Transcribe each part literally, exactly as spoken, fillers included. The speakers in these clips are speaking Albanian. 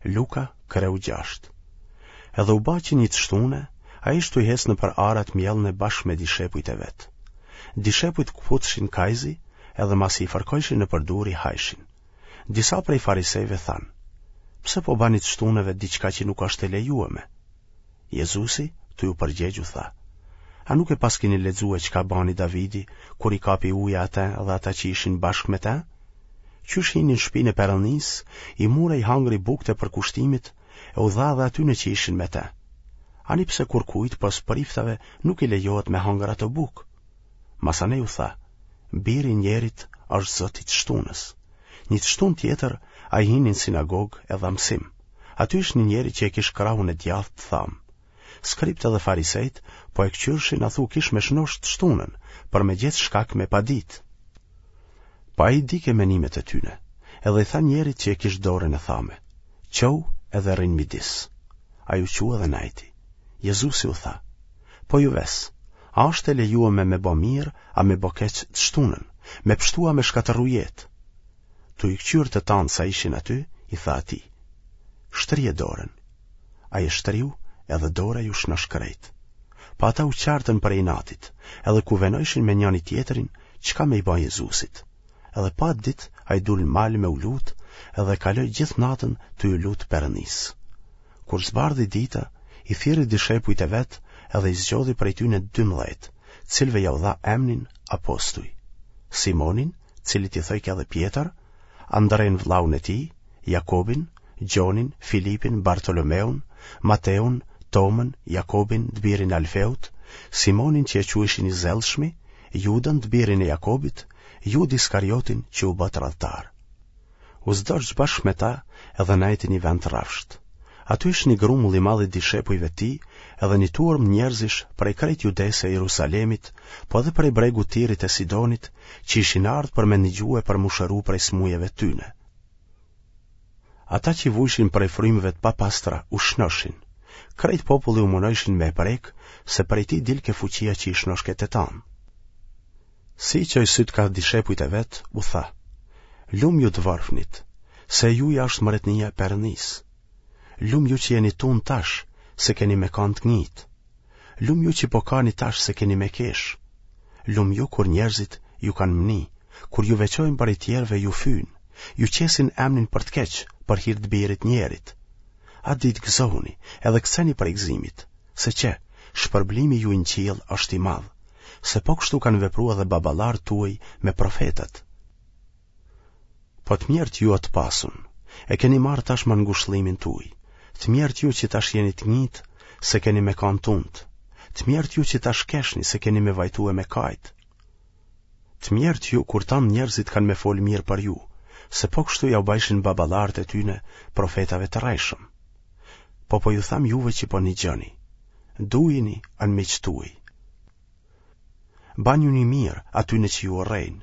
Luka, kreu gjashtë. Edhe u ba që një të shtune, ai ish tuj hecë nëpër arat mjellne bashkë me dishepujt e vet. Dishepujt këputshin kajzi, edhe masi i fërkojshin nëpër durë i hajshin. Disa prej farisejve thanë, pse po bani të shtuneve diçka që nuk është e lejueme? Jezusi, tuj u përgjegj u tha, a nuk e paskini lexue çka bani Davidi, kur i kapi uja atë dhe ata që ishin bashkë me të? Qysh hini në shpinë e Perëndisë, i mur e i hangri bukët e përkushtimit, e u dha edhe atyne që ishin me të. Ani pse kurkujt pos priftave nuk i lejohet me hangër ato bukë. Masanej u tha, biri i njerit është zot i të shtunës. Një të shtunë tjetër, ai hini në sinagogë e dha mësim. Aty ish një njeri që e kish krahun e djathtë të thamë. Skribët edhe farisejt po e këqyrshin a thu kish me shnosh të shtunën, për me gjetë shkak me padit. Po ai dike menimet e tyne, edhe i tha njerit që e kish dorën e thame, çou edhe rri n'midis. Ai u çu edhe najti. Jezusi u tha, po ju ves, a është e lejueme me bo mirë, a me bo keq të shtunën, me pshtu a me shkatërru jetë? Tu i këqyrë të tanë sa ishin aty, i tha atij, shtrije dorën. Ai e shtriu edhe dora iu shnosh krejt. Po ata u çartën prej inatit, edhe kuvenojshin me njani tjetrin, çka me i ba Jezusit. Edhe po atë ditë ai dul në mal me u lut, edhe kaloi gjithë natën tu iu lut Perëndisë. Kur zbardhi dita, i thirri dishepujt e vet edhe i zgjodhi prej tyne dymbëdhjetë, cilëve jau dha emnin apostuj. Simonin, cilit i thojke edhe Pjetër, Andren vëllaun e tij, Jakobin, Gjonin, Filipin, Bartolomeun, Mateun, Tomën, Jakobin, të birin e Alfeut, Simonin që e quajshin i zellshmi, Judën, të birin e Jakobit, Judë Iskariotin që u bë tradhtar. U zdorq bashkë me ta edhe nejti një vend të rrafshët. Aty ish një grumull i madh i dishepujve të tij, edhe një turmë njerëzish prej krejt Judesë e Jerusalemit, po edhe prej bregut Tirit e Sidonit, që ishin ardhë për me ndigju e për m'u shëru prej smujeve tyne. Ata që vujshin prej frymëve të papastra u shnoshin. Krejt populli u munojshin me e prek, se prej tij dilke fuqia që i shnoshke të tanë. Si i çoi sytë kah dishepujt e vet, u tha, Lum ju të varfnit, se e juja është mbretnia e Perëndisë. Lum ju që jeni tunë tash, se keni me kanë të ngitë. Lum ju që po kani tash se keni me kesh. Lum ju kur njerëzit ju kanë mni, kur ju veçojnë prej tjerëve ju fyjnë, ju qesin emnin për të keq, për hir të birit njerit. Atë ditë gëzohuni, edhe kceni prej gëzimit, se qe, shpërblimi juj në qiell është i madh, se po kështu kanë vepru edhe baballarët tuaj me profetët. Po të mjerët ju o të pasun, e keni marrë tashmë ngushëllimin tuaj, të mjerët ju që tash jeni të ngitë, se keni me kanë tuntë, të mjerët ju që tash keshni, se keni me vajtu e me kajt. Të mjerët ju kur tanë njerëzit kanë me folë mirë për ju, se po kështu jau bajshin baballarët e tyne profetave të rrejshëm. Po po ju tham juve që po nigjoni, dujini anmiqtë tuaj. Banjuni mirë atyne që ju urrejnë.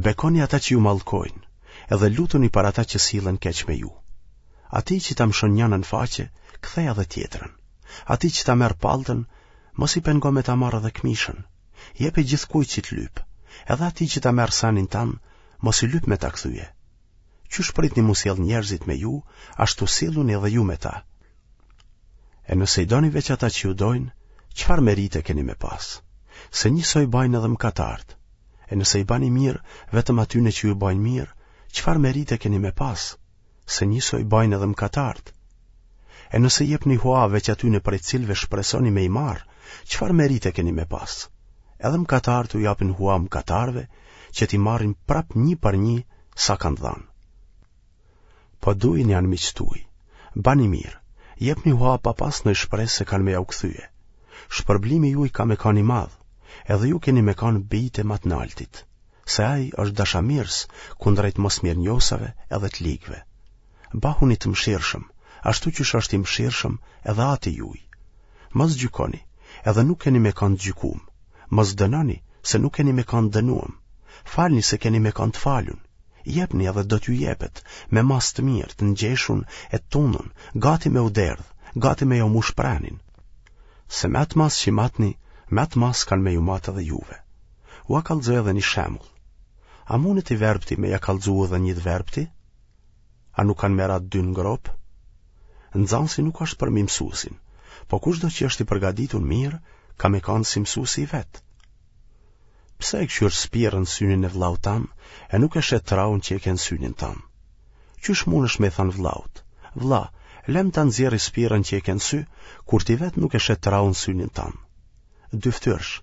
Bekoni ata që ju mallkojnë, edhe lutuni për ata që sillen keq me ju. Atij që ta mshon njënën faqe, ktheja edhe tjetrën. Atij që ta merr palltën, mos i pengo me ta marrë edhe këmishën. Jepi gjithkujt që të lyp. Edhe atij që ta merr senin tand, mos i lyp me ta kthye. Qysh pritni m'u sjell njerëzit me ju, ashtu silluni edhe ju me ta. E nëse i doni veç ata që ju dojnë, çfarë merite keni me pas? Se njësoj bajnë edhe mëkatarët. E nëse i bani mirë vetëm atyne që ju bajnë mirë, çfarë merite keni me pas? Se njësoj bajnë edhe mëkatarët. E nëse jepni hua veç atyne prej cilëve shpresoni me i marrë, çfarë merite keni me pas? Edhe mëkatarët u japin hua mëkatarëve që t'i marrin prap një për një sa kanë dhënë. Po dujini anmiqtë tuaj, bani mirë, jepni hua pa pas ndonjë shpresë se kanë me jau kthye. Shpërblimi juaj ka me kanë i madh, edhe ju keni me kanë bijtë e ma të naltit, se ai është dashamirës kundrejt mosmirënjohësve edhe të ligëve. Bahuni të mëshirshëm, ashtu qysh është i mëshirshëm edhe ati juaj. Mos gjykoni, edhe nuk keni me kanë të gjykum. Mos dënoni, se nuk keni me kanë të dënuem. Falni se keni me kanë të falun. Jepni edhe do t'ju jepet, me masë të mirë, të ngjeshun e të tundun, gati me u derdh, gati me jau mush prenin. Se me atë masë që matni, me atë masë kanë me ju matë edhe juve. Ua kallxoj edhe një shembull. A mundet i verbti me ja kallxu udhën një të verbti? A nuk kanë me ra të dy në gropë? Nxanësi nuk është përmi mësuesin, po kushdo që është i përgaditun mirë, ka me kanë si mësuesi i vet. Pse e kqyr spirën në synin e vllaut tan e nuk e sheh traun që e ke në synin tan? Qysh mundesh me i thanë vllaut, vlla, lem ta nxjerri spirën që e ke në sy, kur ti vetë nuk e sheh traun në synin tan? Dyftyrësh,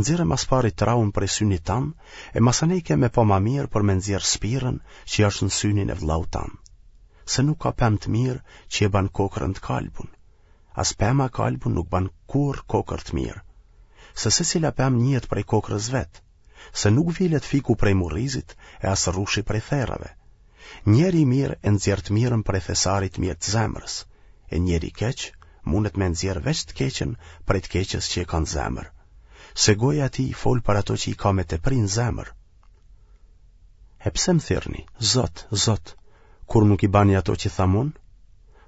nxirre ma s'pari traun prej synit tan, e masanej ke me pa ma mirë për me nxjerrë spirën që është në synin e vllaut tan. Se nuk ka pemë të mirë që e ban kokrrën të kalbun. As pema e kalbun nuk ban kurrë kokërr të mirë. Se secila pemë njihet prej kokrrës vet, se nuk vilet fiku prej murrizit e as rrushi prej therrave. Njeri i mirë e nxjerr të mirën prej thesarit të mirë të zemrës, e njeri i keq mundet me nxjerrë veç të keqen prej të keqes që e ka në zemër. Se goja e tij fol për ato që i ka me tepri në zemër. E pse më thirrni, Zot, Zot, kur nuk i bani ato që tham unë?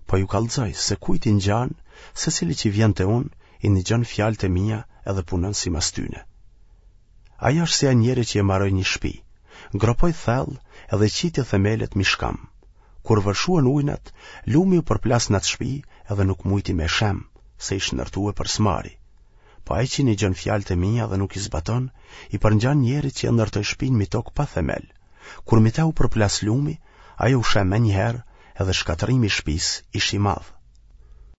Po ju kallxoj se kujt i ngjan secili që vjen te unë, i nigjon fjalët e mia edhe punon simas tyne. Ai është si ai njeri që e maroi një shpi, gropoi thellë edhe qiti themelet mi shkam. Kur vërshuan ujnat, lumi u përplas në atë shpi edhe nuk mujti me shem, se ish ndërtue për s'mari. Po ai që nigjon fjalët e mia dhe nuk i zbaton, i përngjan njerit që e ndërtoi shpinë mi tokë pa themel. Kur mi te u përplas lumi, ajo u shem menjëherë edhe shkatërrimi i shpisë ish i madh.